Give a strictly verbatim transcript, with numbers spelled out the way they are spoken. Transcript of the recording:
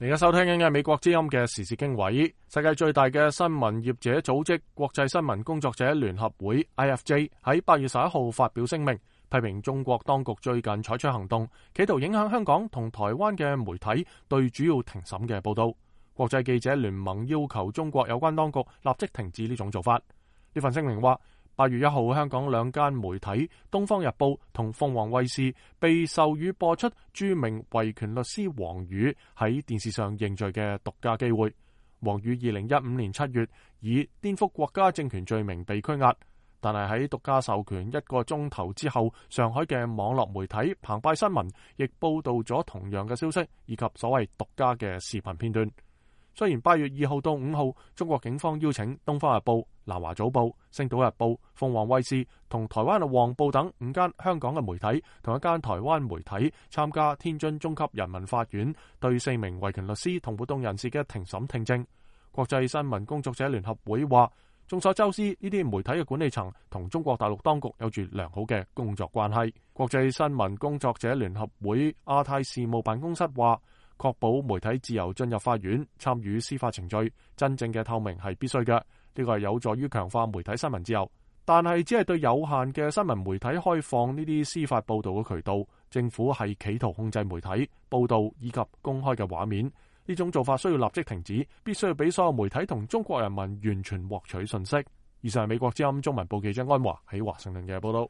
而家收聽緊嘅美國之音嘅時事經緯，世界最大嘅新聞業者組織國際新聞工作者聯合會 I F J 喺八月十一號發表聲明，批評中國當局最近採取行動，企圖影響香港同台灣嘅媒體對主要庭審嘅報道。國際記者聯盟要求中國有關當局立即停止呢種做法。呢份聲明話，八月一號香港兩間媒體《東方日報》同鳳凰衛視被授予播出著名維權律師王宇喺電視上認罪嘅獨家機會。王宇二零一五年七月以顛覆國家政權罪名被拘押，但係喺獨家授權一個鐘頭之後，上海嘅網絡媒體澎湃新聞亦報道咗同樣嘅消息，以及所謂獨家嘅視頻片段。雖然八月二號到五號，中國警方邀請《東方日報》、南華早報、《星島日報》、鳳凰衛視同台灣嘅《旺報》等五間香港嘅媒體同一間台灣媒體參加天津中級人民法院對四名維權律師同活動人士嘅庭審聽證。國際新聞工作者聯合會話，眾所周知，呢啲媒體嘅管理層同中國大陸當局有住良好嘅工作關係。國際新聞工作者聯合會亞太事務辦公室話，確保媒體自由進入法院參與司法程序，真正嘅透明係必須嘅。呢個係有助於強化媒體新聞自由，但係只係對有限嘅新聞媒體開放呢啲司法報道嘅渠道。政府係企圖控制媒體報道以及公開嘅畫面，呢種做法需要立即停止，必須要俾所有媒體同中國人民完全獲取信息。以上係美國之音中文部記者安華喺華盛頓嘅報道。